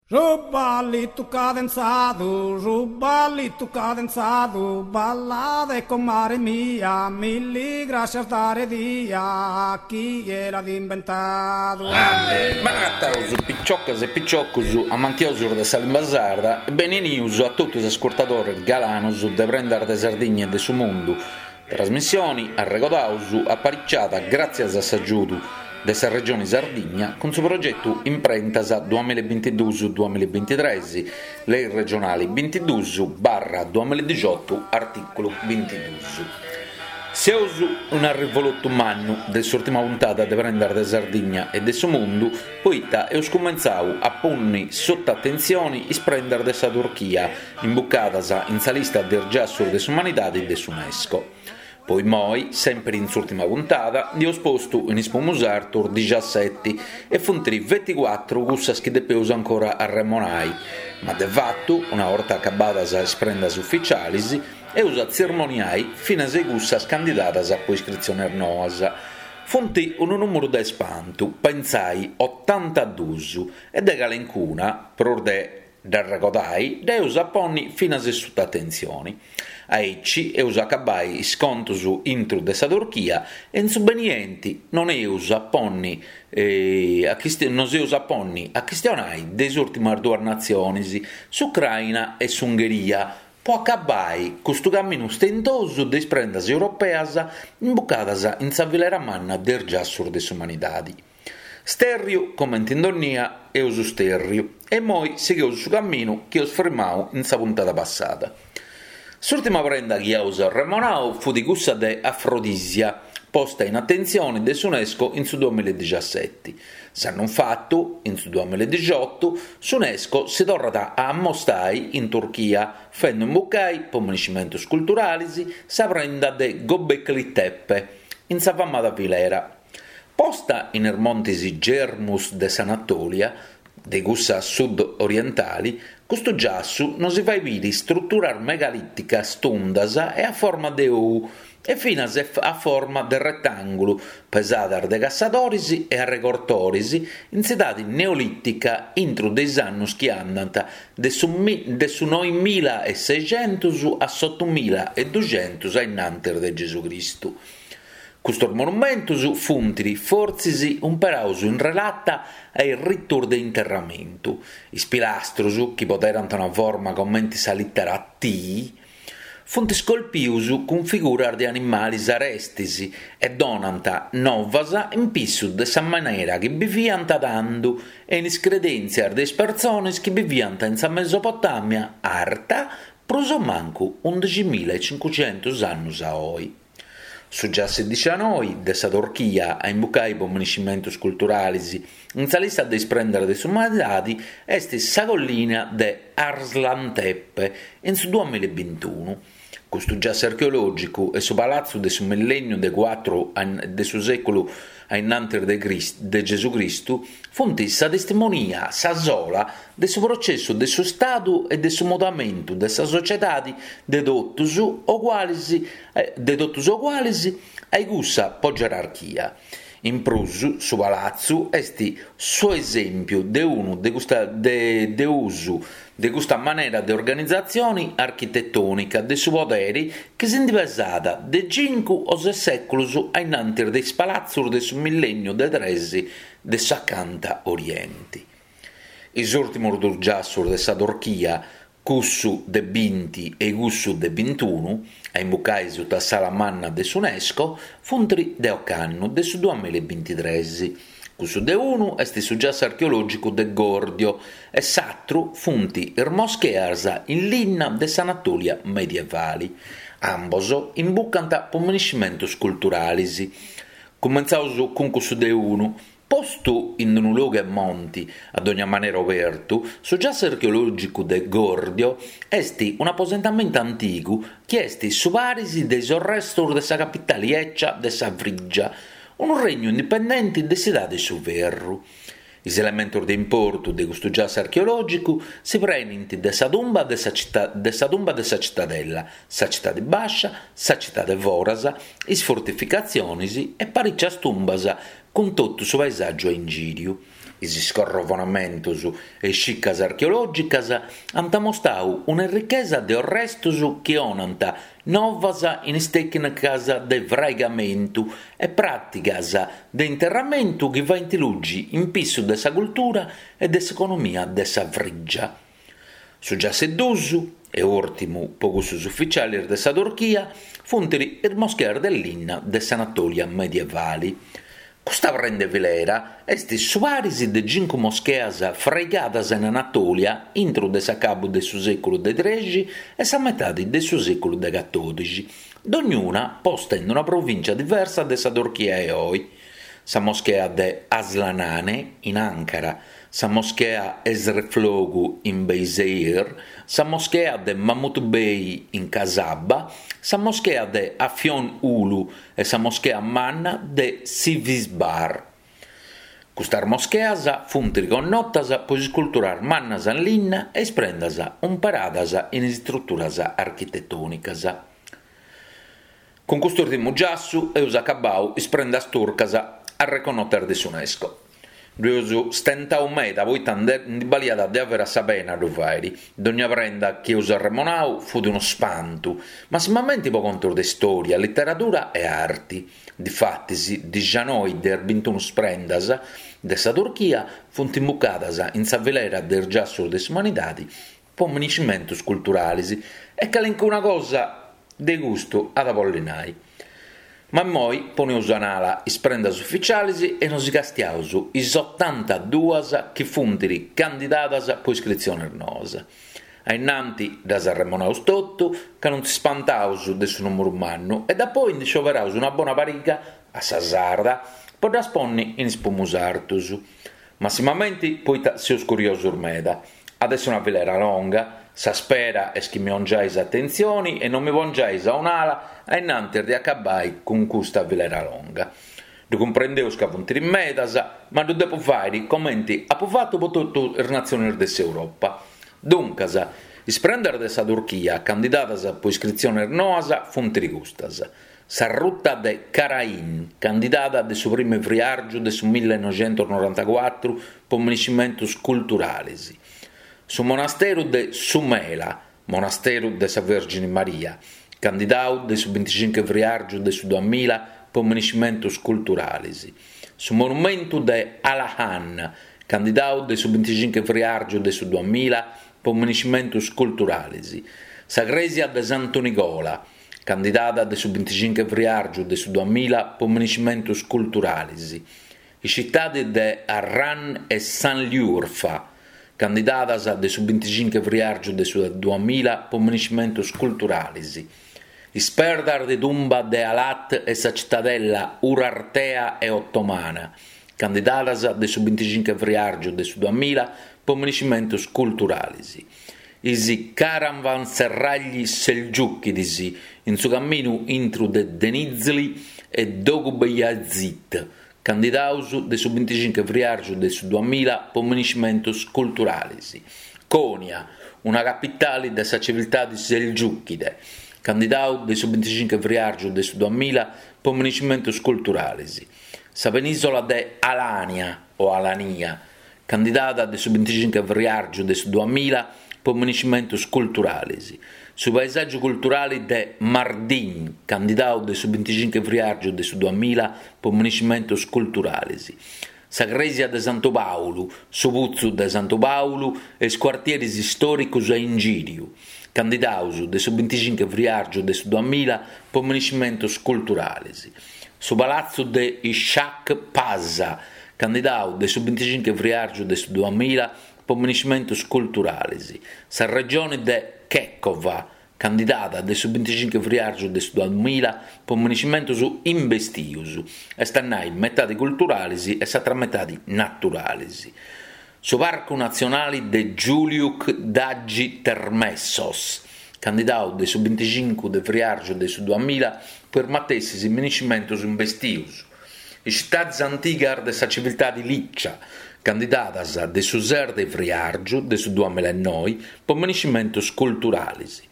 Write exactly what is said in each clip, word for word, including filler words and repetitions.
Su ballitu cadenzadu, su ballitu cadenzadu, ballade comare mia, milli grascias dare dia, chie l'at imbentadu. Benagataus piciocas e piciocus amantiosus de sa limba sarda e benenius a totu is ascurtadores galanos de Prendas de Sardigna e de su Mundu, trasmissioni, arregodaus, apariciada gràtzias a s'agiudu de sa Regioni Sardigna cun su progetu Imprentas duamilla e bintiduus duamilla e bintitres, lei regionali bintiduus barra duamilla e dixiotu artìculu bintiduus. Seus in arrivolotu mannu de s'ùrtima puntada de Prendas de Sardigna e de su Mundu poita eus cumentzau a ponni suta atentzioni is prendas de sa Turchia imbucadas in sa lista de is giassus de s'umanidadi de s'Unesco. Po immoi, sèmpiri in s'ùrtima puntada, nd'eus postu in is pumus artus dixaseti e funt feti cuatru cussas chi depeus ancora arremonai, ma de fatu, una 'orta acabadas is prendas uficialis, eus a tzirmoniai finas e cussas candidadas po iscritziones noas. Funt unu nùmeru de spantu, pentzai, otantaduus, e de calencuna, prus de dd'arregodai, dd'eus a ponni finas suta atentzioni. Aici eus a acabai is contos intru de sa Turchia e in su benienti non eus a ponni a nos eus a ponni a chistionai de is ùrtimas duas natziones, s'Ucraina e s'Ungheria, po acabai custu caminu stentosu de is prendas europeas imbucadas in sa filera manna de is giassus de s'umanidadi. Stèrriu comente in dònnia eus stèrriu e immoi sigheus su caminu chi eus firmau in sa puntada passada. S'ùrtima prenda chi aus arremonau fut cussa de Afrodisia, posta in atentzione de s'Unesco in su duamilla e dixaseti. S'annu fatu, in su duamilla e dixiotu, s'Unesco si torrat a ammostai in Turchia, fendu imbucai, po miniscimentus culturalis, sa prenda de Göbekli Tepe, in sa famada filera. Posta in is montis Germus de s'Anatolia, de cussa sud-orientali, custu giassu nos fait biri struturas megalìticas tundas e a forma de ou e finas a forma de retàngulu, pesadas de cassadores e arregortores in s'edade neolìtica intro de is annos chi andant de su de su noimila e seixentos a s'otomila e duxentos a innantis de Gesucristu. Custos monumentos funt fortzis umperados in relata a is ritos de interramentu. Is pilastros, chi poderant una forma comente sa lìtera T, funt scolpidos cun figuras de animales arestes e donant novas in pissu de sa manera chi biviant tando e in is credèntzias de is persones chi biviant in sa Mesopotàmia arta prus o mancu undiximila e cincucentos annos a oe. Su giassu dicianoi de sa Turchia a imbucai po miniscimentos culturales in sa lista de is prendas de s'umanidade est sa collina de Arslantepe in su duamilla e bintunu. Custu giassu archeològicu e su palatzu de su millènniu de cuatru de su sèculu a innantis de de Gesù Cristu funt sa testimonia, sa sola, de su processu de su Stadu e de su mudamentu de sa sociedade de totus uguales de totus uguales a cussa po gerarchia. In prus, su palatzu est su esèmpiu de unu de custa de de usu de custa manera de organizatzione architetònica de su podere chi si ndi pesat de cincu o ses sèculos a innantis de is palatzos de su millènniu de tres de s'acanta oriente. Is ùrtimos duos giassos de sa Turchia, cussu de binti e cussu de bintunu, a imbucai suta s'ala manna de s'Unesco, funt de ocannu, de su duamilla e bintitres. Cussu de unu est su giassu archeològicu de Gordio e s'atru funt is moscheas in linna de s'Anatolia medievale. Ambos imbucant po miniscimentos culturales. Cumentzaus cun cussu de unu. Postu in unu logu 'e monti, a dogna manera obertu, su giassu archeològicu de Gordio est un'aposentamentu antigu chi est su paris de is restos de sa capitale ecia de sa Frigia, unu regnu indipendente de s'edade 'e su ferru. Is elementos de importu de custu giassu archeològicu si prenint de sa tumba de sa cita de sa tumba de sa citadella, sa citade bàscia, sa citade foras, is fortificatziones e parìcias tumbas cun totu su paesàgiu a ingìriu. Is scorrovonamentus e is circas archeològicas ant amostau un'errichesa de arrestus chi donant novas in is tècnicas de fraigamentu e pràtigas de interramentu chi faint luxi in pissu de sa cultura e de s'economia de sa Frìgia. Su giassu 'e duus, e ùrtimu po cussus ufitzialis de sa Turchia, funt is moscheas de linna de s'Anatòlia medievali. Custa prenda 'e filera est su paris de cincu moscheas fraigadas in Anatòlia intro de s'acabu de su sèculu de trexi e sa metade de su sèculu de catòdixi, dognuna posta in una provìntzia diversa de sa Turchia 'e oe. Sa moschea de Aslanhane in Ankara, sa moschea Esrefoglu in Beyşehir, sa moschea de Mahmut Bey in Kasaba, sa moschea de Afyon Ulu e sa moschea manna de Sivizbar. Custas moscheas funt connotas pro is isculturas mannas in linna e is prendas imperadas in is istruturas architetònicas. Cun custu ùrtimu giassu eus acabadu is prendas turcas arreconnotas de s'UNESCO. Ddu eus stentau meda poita ndi baliat de averas sa pena a ddu fàere. Dogna prenda chi eus arremonau fut unu spantu, massimamenti po contos de istòria, literadura e arti. Difatis, dixanoi de is bintunu prendas de sa Turchia funt imbucadas in sa filera de is giassos de s'umanidade po miniscimentos culturales e calincuna cosa de custu at a bolli nai. Ma immoi poneus a un'ala is prendas ufitziales e nos castiaus is otantaduas chi funt candidadas po iscritziones noas. A innanti ddas arremonaus totu, ca non si spantaus de su nùmeru mannu, e dapoi ndi scioberaus una bona pariga, a sa sarda, po ddas ponni in is pumus artus. Massimamenti poita seus curiosos meda. At essi una filera longa, sa spera est chi mi 'ongiais atentzioni e non mi pongiais a un'ala a innantis de acabai cun custa filera longa. Ddu cumprendeus ca funt medas, ma ddu depu fàere comenti apu fatu po totu is natziones de s'Europa. Duncas, is prendas de sa Turchia candidadas po iscritziones noas funt custas. Sa ruta de Karain, candidada de su primu 'e friàrgiu de su millenoixentusnorantacuatru po miniscimentos culturales. Su monasteru de Sumela, monasteru de sa Vèrgine Maria, candidadu de su binticincu 'e friàrgiu de su duamilla po miniscimentos culturales. Su monumentu de Alahan, candidadu de su binticincu 'e friàrgiu de su duamilla po miniscimentos culturales. Sa crèsia de Santu Nigola, candidada de su binticincu 'e friàrgiu de su duamilla po miniscimentos culturales. Is citades de Harran e Sanliurfa, candidadas de su binticincu 'e friàrgiu de su duamilla po miniscimentos culturales. Is perdas de tumba de Alat e sa citadella Urartea e Otomana, candidadas de su binticincu 'e friàrgiu de su duamilla po miniscimentos culturales. Is caravanserragli selgiùchidis in su caminu intru de Denizli e Dogubeyazit, candidados de su binticincu 'e friàrgiu de su duamilla po miniscimentos culturales. Konya, una capitale de sa civiltade selgiùchide, candidadu de su binticincu 'e friàrgiu de su duamilla po miniscimentos culturales. Sa penìsola de Alània o Alania, candidada de su binticincu 'e friàrgiu de su duamilla po miniscimentos culturales. Su paesàgiu culturale de Mardin, candidadu de su binticincu 'e friàrgiu de su duamilla po miniscimentos culturales. Sa crèsia de Santu Pàulu, su putzu de Santu Pàulu e is cuartieris istòricos a ingìriu, candidados de su binticincu 'e friàrgiu de su duamilla po miniscimentos culturales. Su palatzu de Ishak Pasha, candidadu de su binticincu 'e friàrgiu de su duamilla po miniscimentos culturales. Sa regione de Kekova, candidada de su binticincu 'e friàrgiu de su duamilla po miniscimentos imbestios, est a nai metade culturales e s'atra metade naturales. Su Parcu Natzionale de Güllük Dagi Termessos, candidadu de su binticincu de friàrgiu de su duamilla po is matessis miniscimentos imbestios. Is citades antigas de sa civiltade Licia, candidadas de su ses de friàrgiu de su duamilla e noi po miniscimentos culturales.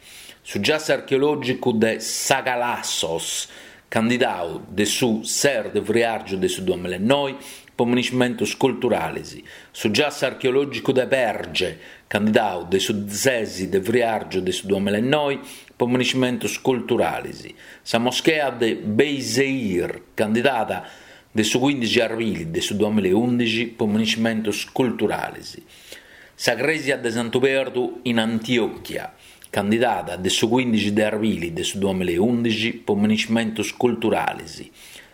Su giassu archeològicu de Sagalassos, candidadu de su ses de friàrgiu de su duamilla e noi po monumentos culturales. Su giassu archeològicu de Perge, candidadu de su ses de friàrgiu de su duamillaenoe po monumentos culturales. Sa moschea de Beyşehir, candidada de su quìndixi arbili de su duamillaundixi po monumentos culturales. Sa crèsia de Santu Perdu in Antiochia, candidada de su quìndixi de arbili de su duamillaundixi po monumentos culturales.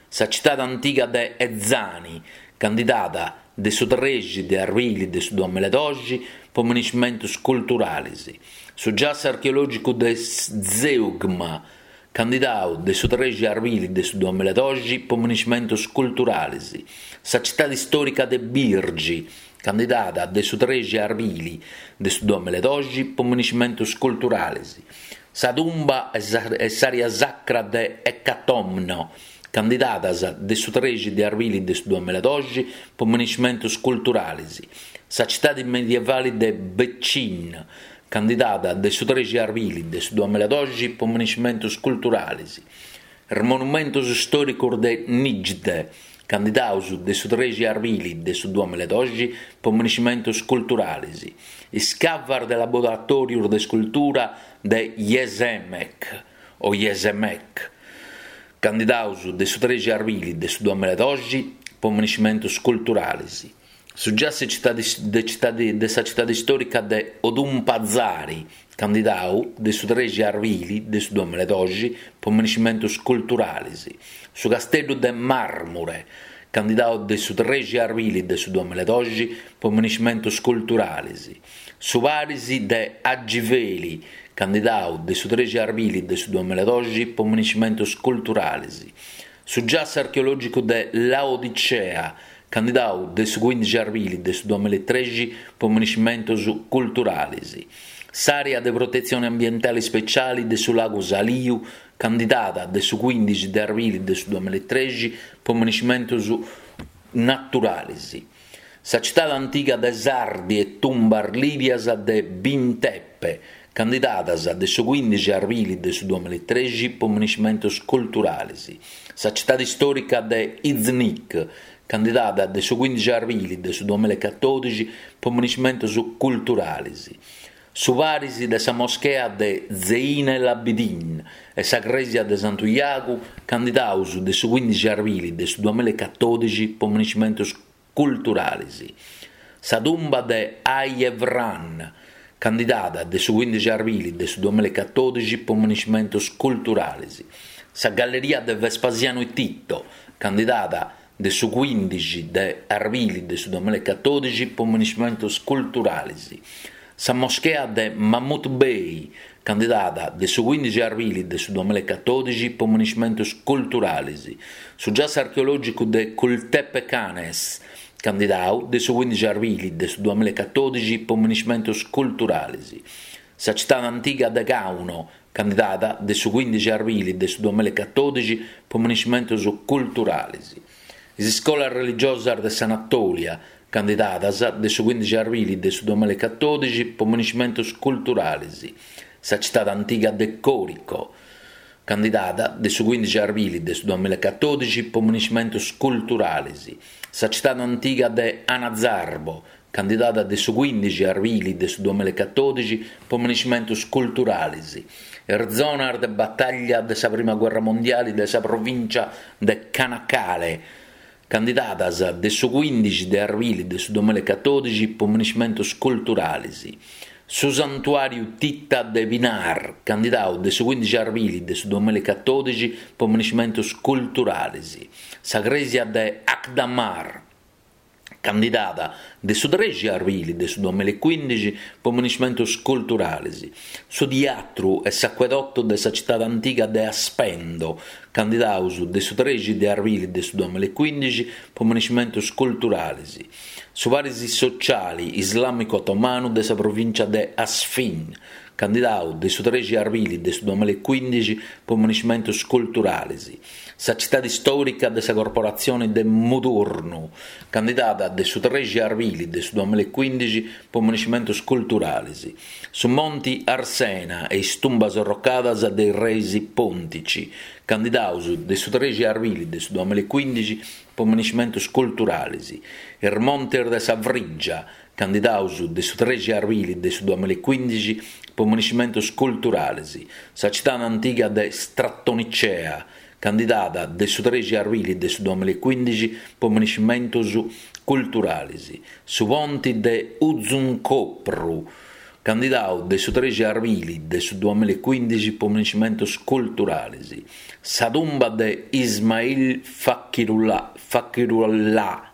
Sa tzitade antiga de Ezani, candidada de su trexi de arbili de su duamilladoxi po monumentos culturales. Su giassu archeològicu de Zeugma, candidadu de su trexi arbili de su duamilladoxi po monumentos culturales. Sa tzitade istòrica de Birgi, candidada de su trexi arbili de su duamilladoxi po monumentos culturales. Sa tumba e s'àrea sacra de Ecatomno, candidadas de su trexi de arbili de su duamilladoxi po monumentos culturales. Sa tzitade medievale de Beçin, candidada de su trexi arbili de su duamilladoxi po monumentos culturales. Is monumentos istòricos de Niğde, candidados de su trexi arbili de su duamilladoxi po monumentos culturales. Is cavas de laboratòrios de iscultura de Yesemek o Yesemek, candidados de su trexi arbili de su duamilladoxi po monumentos culturales. Su giassu de, tzitade, de sa tzitade istòrica de Odunpazarı, candidadu de su trexi arbili de su duamilladoxi po monumentos culturales. Su casteddu de Marmure, candidadu de su trexi arbili de su duamilladoxi po monumentos culturales. Su paris de Hacıveli, candidadu de su trexi arbili de su duamilladoxi po monumentos culturales. Su giassu archeològicu de Laodicea, candidadu de su quìndixi arbili de su duamillatrexi po monumentos culturales. S'àrea de protetzione ambientale ispetziale de su Lagu Saliu, candidada de su quìndixi de arbili de su duamillatrexi po monumentos naturales. Sa tzitade antiga de Sardi e tumbas lìdias de Bintepe, candidadas de su quìndixi arbili de su duamillatrexi po monumentos culturales. Sa tzitade istòrica de Iznik, candidada de su quìndixi arbili de su duamillacatòdixi po monumentos culturales. Su paris de sa moschea de Zeyn el Abidin e sa crèsia de Santu Iagu, candidados de su quìndixi arbili de su duamillacatòdixi po monumentos culturales. Sa tumba de Ay Evran, candidada de su quìndixi arbili de su duamillacatòdixi po monumentos culturales. Sa galleria de Vespasiano e Tito, candidada de su quìndixi de arbili de su duamillacatòdixi po monumentos culturales. Sa moschea de Mahmut Bey, candidada de su quìndixi arbili de su duamillacatòdixi po monumentos culturales. Su giassu archeològicu de Kültepe Kanes, candidadu de su quìndixi arbili de su duamillacatòdixi po monumentos culturales. Sa tzitade antiga de Cauno, candidada de su quìndixi arbili de su duamillacatòdixi po monumentos culturales. Is iscolas religiosas de s'Anatolia, candidadas de su quìndixi arbili de su duamillacatòdixi po monumentos culturales. Sa tzitade antiga de Corico, candidada de su quìndixi arbili de su duamillacatòdixi po monumentos culturales. Sa tzitade antiga de Anazarbo, candidada de su quìndixi arbili de su duamillacatòdixi po monumentos culturales. Is zonas de batalla de sa Prima Guerra Mondiale de sa provìntzia de Çanakkale, candidadas de su quìndixi de arbili de su duamillacatòdixi po monumentos culturales. Su santuàriu hittita de Pınar, candidadu de su quìndixi arbili de su duamillacatòdixi po monumentos culturales. Sa crèsia de Akdamar, candidada de su trexi arbili de su duamillacuìndixi po monumentos culturales. Su teatru e s'acuedotu de sa tzitade antiga de Aspendo, candidados de su trexi de arbili de su duamillacuìndixi po monumentos culturales. Su paris sotziale islàmicu otomanu de sa provìntzia de Artvin, candidau de su trexi arbili de su duamilla e cuindixi po monumentus culturalis, sa citadi stòrica de sa corporatzioni de Mudurnu, candidada de su trexi arbili de su duamilla e cuindixi po monumentus culturalis, su Monti Arsena e is tumbas arrocadas de is reis Pontici, candidaus de su trexi arbili de su duamilla e cuindixi po monumentus culturalis, is montis de sa Frigia, candidaus de su trexi arbili de su duamilla e cuindixi po monumentus culturalis, sa citadi antiga de Stratonicea, candidada de su trexi arbili de su duamilla e cuindixi po monumentus culturalis, su ponti de Uzunköprü, candidau de su trexi arbili de su duamilla e cuindixi po monumentus culturalis, sa tumba de Ismail Fakirullah, Fakirullah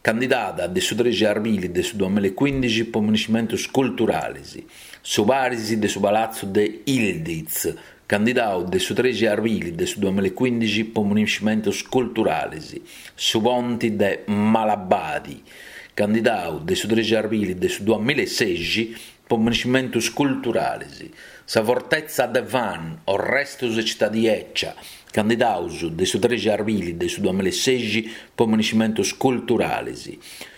candidada de su trexi arbili de su duamilla e cuindixi po monumentus culturalis, su paris de su palatzu de Yildiz, candidau de su trexi arbili de su duamilla e cuindixi po monumentus culturalis, su ponti de Malabadi, candidau de su trexi arbili de su duamilla e sexi po monumentus culturalis, sa fortetza de Van, Orrestus e Citadi 'Ecia, candidaus de su trexi arbili de su duamilla e sexi po monumentus culturalis,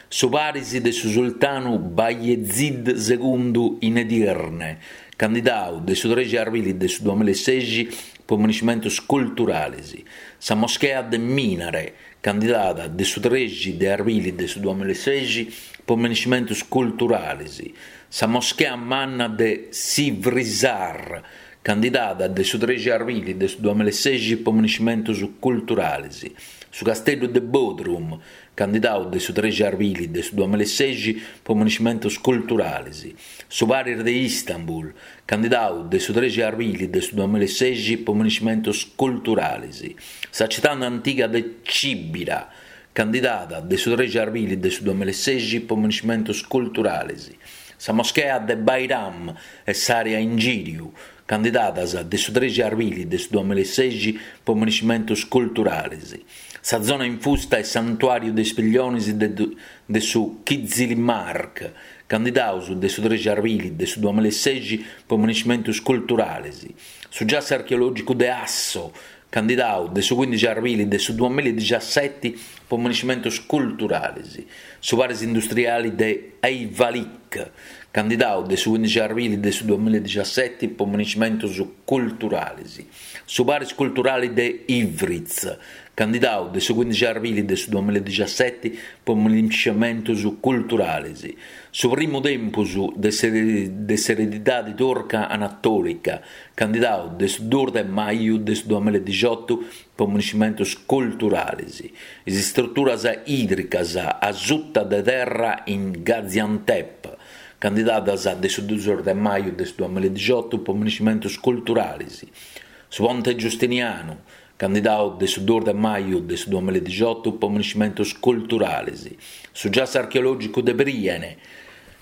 su paris de su sultanu Bayezid segundu in Edirne, candidau de su trexi arbili de su duamilla e sexi po monumentus culturalis, sa moschea de Minare, candidada de su trexi de arbili de su duamilla e sexi po monumentus culturalis, sa moschea manna de Sivrihisar, candidada de su trexi arbili de su duamilla e sexi po monumentus culturalis, su casteddu de Bodrum, candidau de su trexi arbili de su duamilla e sexi po monumentus culturalis, su paris de Istanbul, candidau de su trexi arbili de su duamilla e sexi po monumentus culturalis, sa citadi antiga de Cibira, candidada de su trexi arbili de su duamilla e sexi po monumentus culturalis, sa moschea de Bayram e s'area ingìriu, candidadas de su trexi arbili de su duamilla e sexi po monumentus culturalis, sa zona infusta e santuàriu de is pillionis de, de su Kizilirmak, candidaus de su trexi arbili de su duamilla e sexi po monumentus culturalis, su giassu archeològicu de Asso, candidau de su cuindixi arbili de su duamilla e diciaseti po monumentus culturalis, su paris industriali de Ayvalık, candidau de su cuindixi arbili de su duamilla e diciaseti po monumentus culturalis, su paris culturali de Ivriz, candidau de su cuindixi arbili de su duamilla e diciaseti po monumentus culturalis, su primu tempus de s'eredidadi turca anatòlica, candidau de su duus de maju de su duamilla e diciotu po monumentus culturalis, is istruturas ìdricas a suta de terra in Gaziantep, candidadas de su duus de maju de su duamilla e diciotu po monumentus culturalis, su Ponte Giustinianu, candidau de su duus de maju de su duamilla e diciotu po monumentus culturalis, su giassu archeològicu de Priene,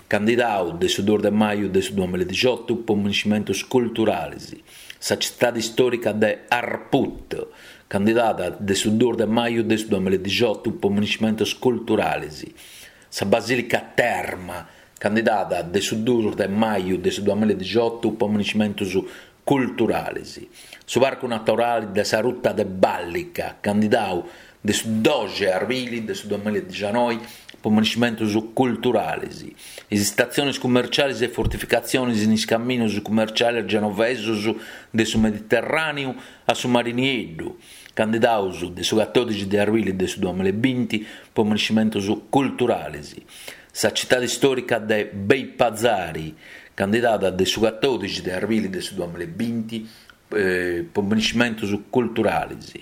candidau de su duus de maju de su duamilla e diciotu po monumentus culturalis, sa citadi stòrica de Harput, candidada de su duus de maju de su duamilla e diciotu po monumentus culturalis, sa Basìlica Terma, candidada de su duus de maju de su duamilla e diciotu po monumentus culturalis, su Parcu Naturali de sa Ruta de Ballica, candidau de su doxi arbili de su duamilla e dicianoi po monumentus culturalis, is istatzionis cummercialis e fortificatzionis in is camminus cummercialis genovesus de su Mediterràneu a su Mari Nieddu, candidaus de su catòdixi de arbili de su duamilla e binti po monumentus culturalis, sa citadi stòrica de Beypazarı, candidada de su catòdixi de arbili de su duamilla e binti eh, po monumentus culturalis,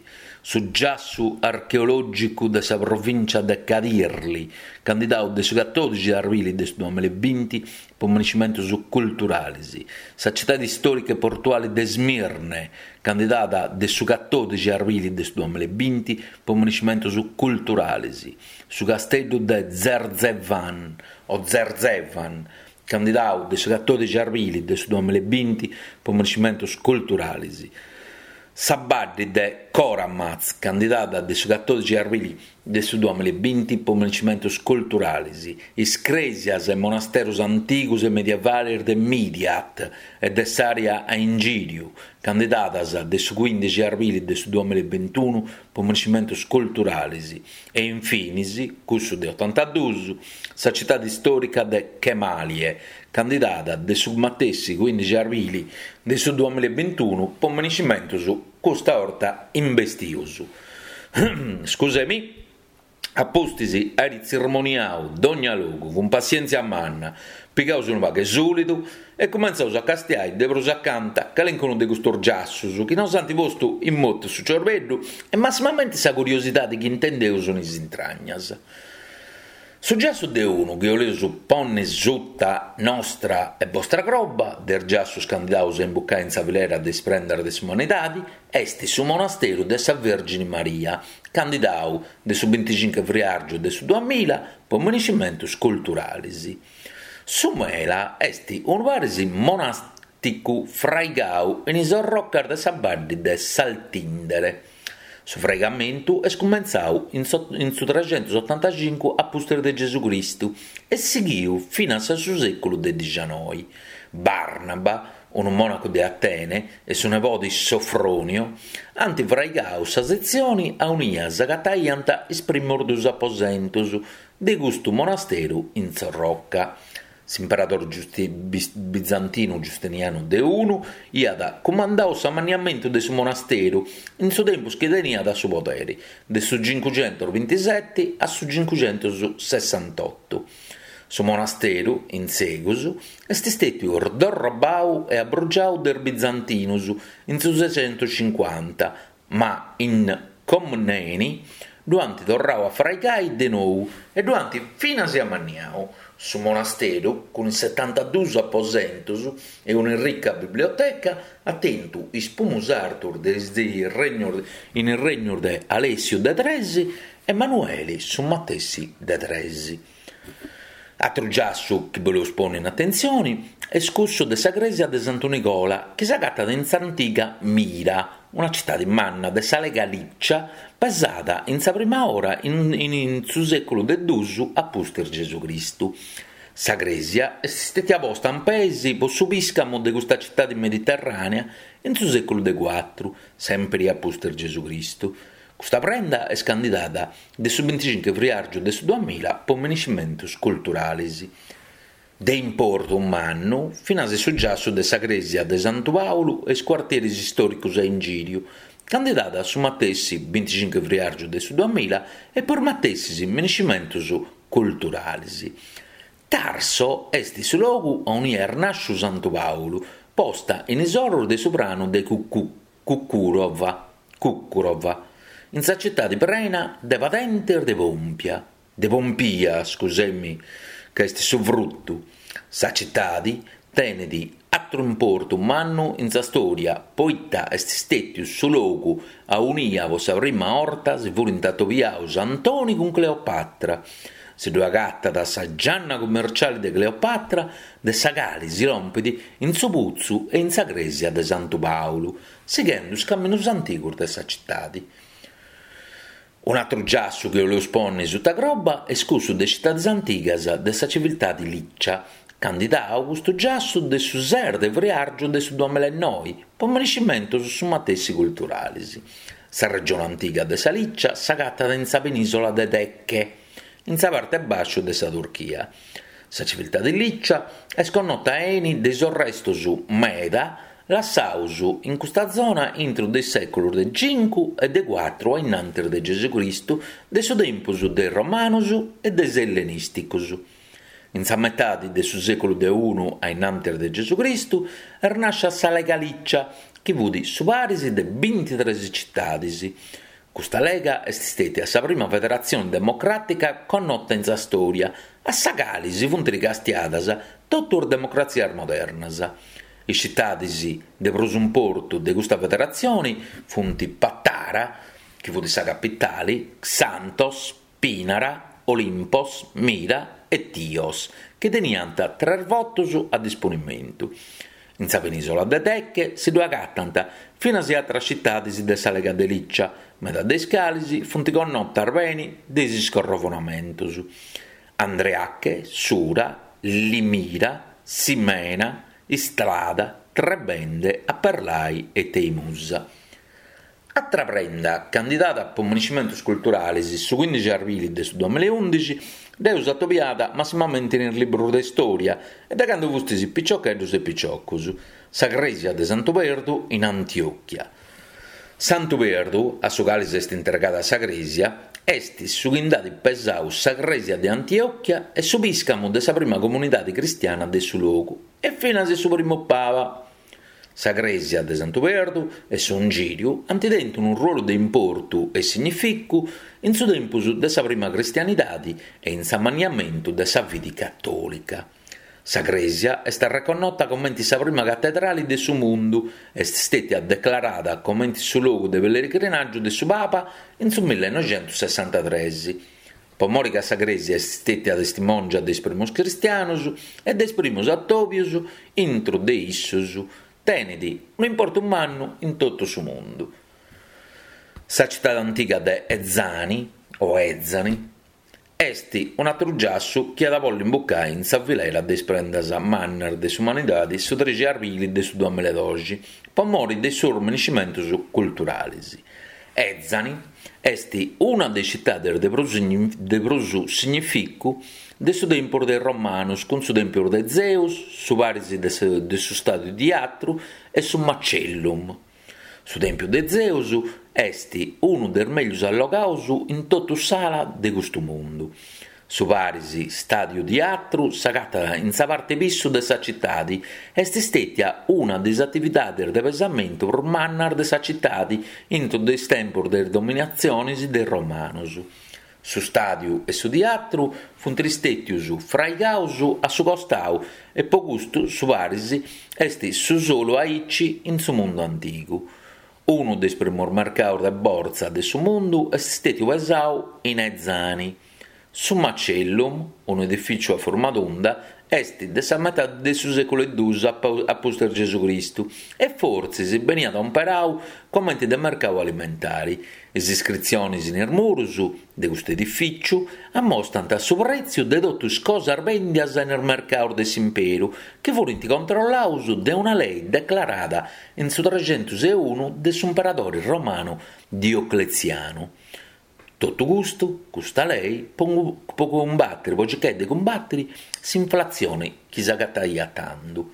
su giassu archeològicu de sa provìncia de Kadirli, candidau de su catòdixi de arbili de su duamilla e binti po monumentus culturalis, sa citadi stòrica e portuali de Smirne, candidada de su catòdixi de arbili de su duamilla e binti po monumentus culturalis, su casteddu de Zerzevan o Zerzevan, candidau de su catòdixi de arbili de su duamilla e binti po monumentus culturalis, sa baddi de Koramaz, candidada de su catòdixi de arbili de su duamilla e binti po minescimentus culturalis, is crèsias e monasterus antigus e medievalis de Midyat e de s'àrea a ingìriu, candidadas de su cuìndixi arbili de su duamilla e bintunu po minescimentus culturalis e infinis, cussu de otantaduus, sa citadi istòrica de Kemaliye, candidada de su matessi cuìndixi arbili de su duamilla e bintunu po minescimentus custa 'orta imbestius. Scusemi. A pustis airi tzirmoniau dogna logu cun passièntzia manna, pigaus unu pagu 'e sulidu e cumentzaus a castiai de prus acanta calincunu de custus giassus chi nos ant postu in motu su ciorbeddu e massimamenti sa curiosidadi chi intendeus in is intragnas. Su giassu de unu chi 'oleus ponni suta nostra e bostra croba, de is giassus candidaus a imbucai in sa filera de is prendas de s'umanidadi, est su monasteru de sa Vèrgini Maria, candidau de su binticincu friàrgiu de su duamilla po minescimentus culturalis. Su Mela est unu paris monàsticu fraigau in is orrocas de sa baddi de Saltindere. Su fraigamentu est cumentzau in su trexentus otantacincu a pustis de Gesù Cristu e sighiu finas a su sèculu de dixianoi. Barnaba, unu mònacu de Atene, e su nebodi Sofronio ant fraigau sa setzioni aunia s'agataiant is primus duus aposentus de custu monasteru in s'orroca. S'imperadori bizantinu Giustinianu de unu iat cumandau s'amanniamentu de su monasteru in su tempus chi teniat su poderi, de su cincucentus bintiseti a su cincucentus sessantotu. Su monasteru, in segus, est stètiu sdorrobau e abrugiau de is bizantinus in su sexentus cincuanta, ma is Comneni ddu ant torrau a fraigai de nou e ddu ant finas amanniau. Su monasteru, cun is setantaduus aposentus e una rica biblioteca, at tentu is pumus artus de is in is regnus de Alèssiu de tres e Manueli su matessi de tres. Atru giassu chi boleus ponni in atentzioni est cussu de sa crèsia de Santu Nigola chi s'agatat in s'antiga Mira, una citadi manna de sa Lega Lìcia pesada in sa prima ora in su sèculu de duus a pustis Gesù Cristu. Sa crèsia est stètia posta in peis po su pìscamu de custa citadi mediterrànea in su sèculu de cuatru, sèmpiri a pustis Gesù Cristu. Custa prenda est candidada de su binticincu friàrgiu de su duamilla po minescimentus culturalis. De importu mannu finas su giassu de sa crèsia de Santu Pàulu e is cuartieris istòricos a ingìriu, candidada su matessi binticincu friàrgiu de su duamilla e po is matessis minescimentus culturalis. Tarso est su logu aunia est nàsciu Santu Pàulu, posta in is orus de su pranu de Cucurova, Cucurova, in sa citadi prena de padentes de pompia, de pompia, scusemi, ca est su frutu. Sa citadi tenet atru importu mannu in sa storia, poita est stètiu su logu aunia po sa prima 'orta si furint atobiaus Antoni cun Cleopatra. Si ddu agatat sa gianna cummerciali de Cleopatra, de sa cali si lompit in su putzu e in sa crèsia de Santu Pàulu, sighendu is caminus antigus de sa citadi. Un'atru giassu chi 'oleus ponni suta croba est cussu de is citadis antigas de sa civiltadi Lìcia, candidau custu giassu de su ses de friàrgiu de su duamilla e noi po minescimentus su matessi culturalis. Sa regione antiga de sa Lìcia s'agatat in sa penìsola de Teche, in sa parte bàsciu de sa Turchia. Sa civiltadi Lìcia est connota 'eni de is arrestus meda lassaus in custa zona intru de is sèculus de cincu e de cuatru a innantis de Gesù Cristu, de su tempus de is Romanus e de is Ellenìsticus. In sa metadi de su sèculu de unu a innantis de Gesù Cristu est nàscia sa Lega Lìcia, chi fut su paris de bintitres citadis. Custa lega est stètia sa prima federatzione democràtica connota in sa stòria, a sa cali si funt ricastiadas totu is democratzias modernas. Is citadis de prus importu de custa federatzione funt Patara, chi fut sa capitale, Xanthos, Pinara, Olimpos, Mira e Tios, chi teniant tres votos a disponimentu. In sa penisola de Teche si ddu agatant finas in atras citadis de sa Lega de Licia, meda de is calis funt connotas beni de is scorrovonamentus: Andriache, Sura, Limira, Simena, Istrada, Trebende, Aperlai e Teimusa. Atra prenda candidada po miniscimentus culturalis su cuindixi arbili de su duamilla e undixi dd'eus atobiada massimamenti in is librus de storia e de candu fustis piciocheddus e piciocus, sa crèsia de Santu Perdu in Antiochia. Santu Perdu, a su cali s'est intregada sa crèsia, est su chi nd'at pesau sa crèsia de Antiochia e su pìscamu de sa prima comunidade cristiana de su logu e finas su primu paba. Sa crèsia de Santu Perdu e su ingìriu ant tentu unu ruolu de importu e significu in su tempus de sa prima cristianidade e in s'amanniamentu de sa fidi catòlica. Sa crèsia est reconnota comente sa prima catedrale de su mundu, est stètia declarada comente su logu de pellegrinàgiu de su Papa in su millenoixentussessantatrès. Po mori ca sa crèsia est stètia testimòngia de is primos cristianos e de is primos atòbios intro de issos, tenet un'importu mannu in totu su mundu. Sa citade antiga de Ezani, o Ezani, est un'atru giassu chi at a bolli imbucai in sa filera de is prendas mannas de s'umanidade su trexi arbili de su duamilla e doxi, po mori de is suus miniscimentus culturales. Ezani est una de is citades de prus, de prus significu de su tempus de is Romanos, cun su tèmpiu de Zeus, su paris de su, de su stàdiu Teatru e su Macellum. Su tèmpiu de Zeus est unu de is mègius allogados in totu s'ala de custu mundu. Su paris stàdiu Teatru s'agatat in sa parte pissu de sa citade, est stètia una de is atividades de pesamentu prus mannas de sa citade intro de is tempos de is dominatziones de is Romanos. Su stàdiu e su teatru funt istètios fraigados a su costau e po custu su paris est su solu aici in su mundu antigu. Unu de is primos mercados de borsa de su mundu est stètiu pesau in Ezani. Su Macellum, unu edifìtziu a forma tunda, est de sa metade de su sèculu duus a pustis Gesù Cristu e fortzis beniat imperadu comente de mercadu alimentare. Is iscritziones in is muros de custu edifìtziu ammostrant su prètziu de totu is cosas bèndias in is mercados de s'imperu, chi funt controllados de una lei declarada in su trexentos e unu de s'imperadore romanu Diocletzianu. Totu custu, custa lei, po, po cumbattere, po circare de cumbattere s'inflatzione chi s'agataiat tandu.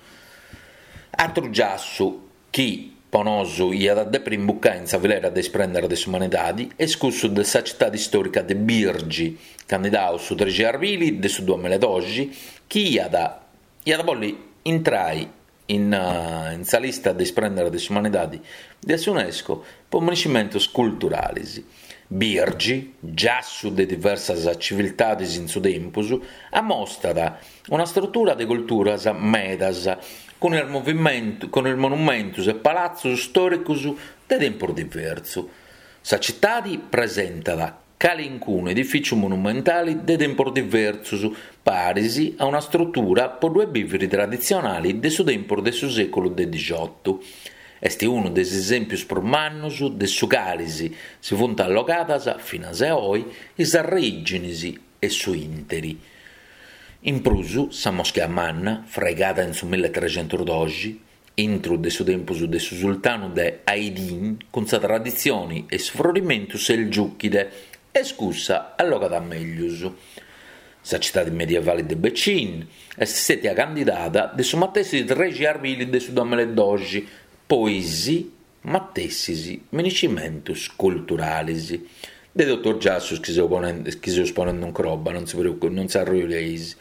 Atru giassu chi po nosu iat a depere imbucai in sa filera de is prendas de s'umanidade est cussu de sa citade storica de Birgi, candidau su trexi arbili de su duamilla e doxi, chi iat, iat a bolli intrai in, uh, in sa lista de is prendas de s'umanidade de s'UNESCO po miniscimentus culturales. Birgi, giassu de diversas civiltades in su tempus, ammostrat una struttura de culturas medas, cun is movimento, cun is monumentos e palatzos stòricos de tempus diversu. Sa citade presentat calincunu edifìtziu monumentale de tempos diversos, paris a una struttura po due bivere traditzionale de su tempus de su sèculu de diciotto. Est unu de is esèmpios prus mannos de su calis si funt allogadas, finas a oi, is arrèigines e su interi. In prus, sa moschea manna, fraigada in su milletrecentosdoxi, intro de su tempus de su sultanu de Aydin, cun sa traditzione e su frorimentu selgiuchide, est cussa allogada meglius. Sa citade medievale de Becin est stètia candidada de su matessi trexi arbili de su duamilla e doxi, po is matessis miniscimentus culturales. De totu is giassus chi seu ponendo, chi seus ponendo in croba, non si preoccup, non si arruileis.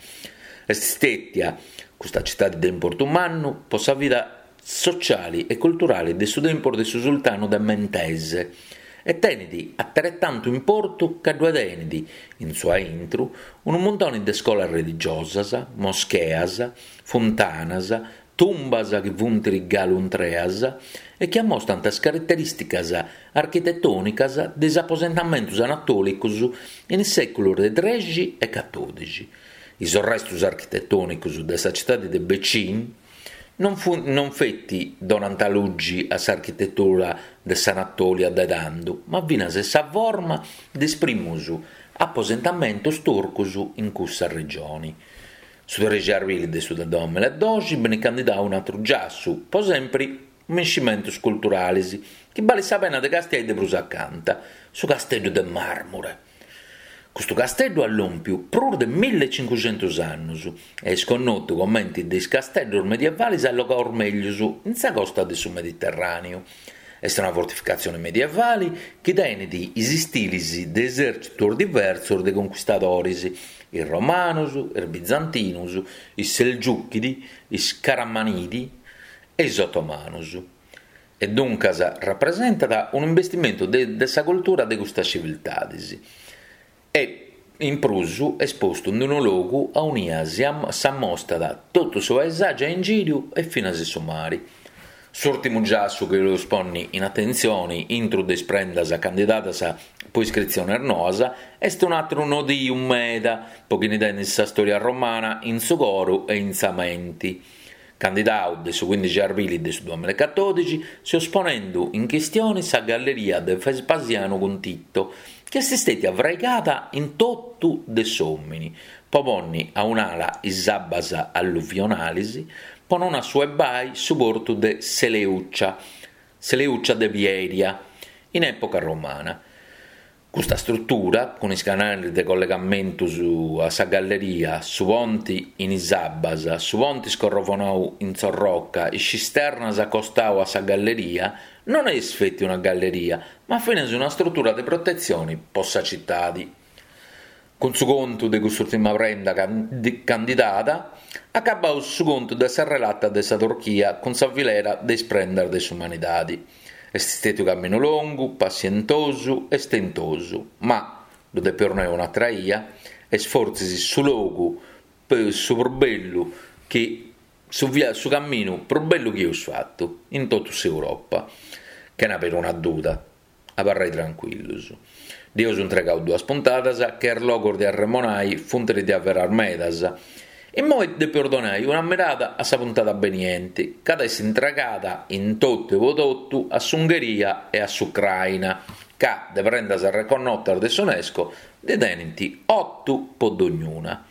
Est stètia custa citade de importu mannu po sa vida sociale e culturale de su tempus de su sultanu de Mentese e tenet atretantu importu ca ddue tenet in su aintru unu muntone de scolas religiosas, moscheas, funtanas, tumbas chi funt galu intreas e chi ammostrant as caraterìsticas architetònicas de is aposentamentos anatòlicos in is sèculos de trexi e catòdixi. Is restos architetònicos de sa citade de Becin, Non, fu, non feti donant lugi a s'architetura de s'Anatolia de tando, ma finas sa forma de is primus aposentamentos turcos in cussa regione. Su trexi arbili de su duamilla e doxi benit candidau un'atru giassu, po sempri mescimentos culturales, chi balit sa pena de castiai de prus acanta, su Casteddu de Màrmure. Custu casteddu at lòmpiu prus de mille e cincuxentus annus e est connotu comente de is casteddos medievales allogados mègius in sa costa de su Mediterràneu. Est una fortificatzione medievale chi tenet is istiles de esèrtzitos diversos de conchistadores, is romanos, is bizantinos, is selgiuchidi, is caramanidi e is otomanos. E duncas rapresentat un'investimentu de, de sa cultura de custas civiltades. E in prus est postu in unu logu aunia s'ammostat totu su paesàgiu a ingìriu e finas su mare. S'ùrtimu giassu chi los ponni in atentzione intro de is prendas candidadas po iscritziones noas est un'àteru nodiu meda po chini tenet sa storia romana in su coro e in sa menti. Candidau de su quindixi arbili de su duamilla e catòdixi, seus ponendo in chistione sa galleria de Vespasiano cun Tito, chi est stètia fraigada in totu de s'òmini, po ponni a un'ala is abbas alluvionales, po non assuebai su portu de Seleucia, Seleucia de Pieria, in època romana. Custa struttura, cun is canales de collegamentu a sa galleria, su ponti in is abbas, su ponti scorrovonau in s'orroca, is cisternas acostau a sa galleria, non est feti una galleria, ma finas una struttura de protetzione po sa cittade. Cun su contu de cust'ùrtima prenda candidada, acabaus su contu de sa relata de sa Turchia cun sa filera de is prendas de s'umanidade. Est stètiu camminu longu, passientosu e stentosu, ma, ddu depeus nai un'atra 'ia, est fortzis su logu su prus bellu chi su, via, su camminu prus bellu chi eus fatu in totu s'Europa, chena peruna duda, abarrai tranquillus. Dd'eus intregau duas puntadas, che is logos de arremonai funt de averas medas. Immoi depeus donai una mirada a sa puntada beniente, ca at essi intregada in totu e po totu a s'Ungheria e a s'Ucraina, ca de prendas reconnotas de s'UNESCO ndi tenint otu po dognuna.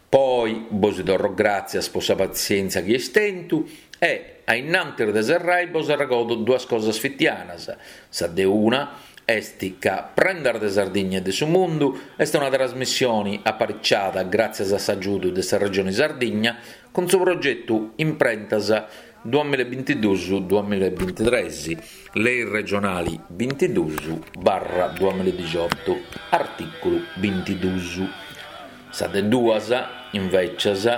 Poi bos torro gràtzias po sa pazienza chi eis tentu e, a innantis de serrai, bos arregodo duas cosas fitianas. Sa de una est ca Prendas de Sardigna e de su Mundu est una trasmissione apariciada gràtzias a s'agiudu de sa Regione Sardigna cun su progetu Imprentas duamilla e bintiduus duamilla e bintitres, Lei regionali bintiduus barra duamilla e diciotto, artìculu bintiduus. Sa de duas, invecias,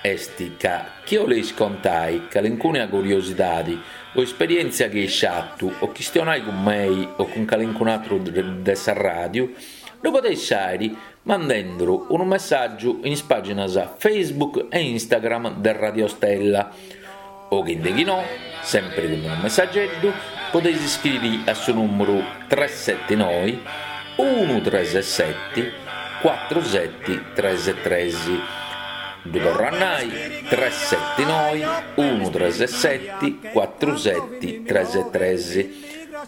est ca chi 'oleis contai calincuna curiosidade o esperièntzia chi eis fatu o chistionai cun mei o cun calincun'atru de sa ràdiu, ddu podeis fàere mandenduru unu messàgiu in is pàginas Facebook e Instagram de Radio Stella. O chi de chi no, sempre cun unu messageddu, podeis iscriri a su nùmeru tres sete noi unu tres sete cuatru sete tres tres. Ddu torro a nai, tres sete noi unu tres sete cuatru sete tres tres.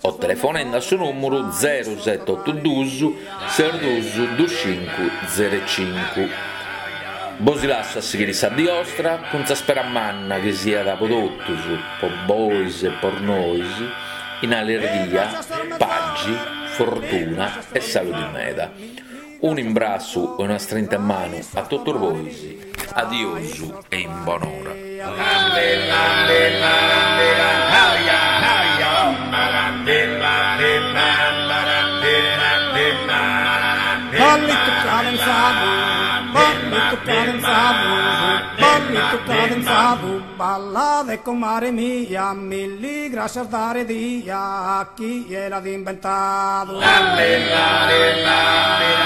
O telefonende a su nùmeru zero sete otu duus ses duus dus cincu zero cincu. Bos lasso a sighire sa die ostra cun sa spera manna chi siat po totus, po bois e po nois, in allerghia, pagi, fortuna e saludi meda. Un imbrassu e una strinta 'e manu a totus bois, adiosu e in bonora. Ballito cadenzado, ballito cadenzado, ballito cadenzado, balla de comare mia, mille gracias dare dia, chi l'ha inventado. Bella, bella, bella.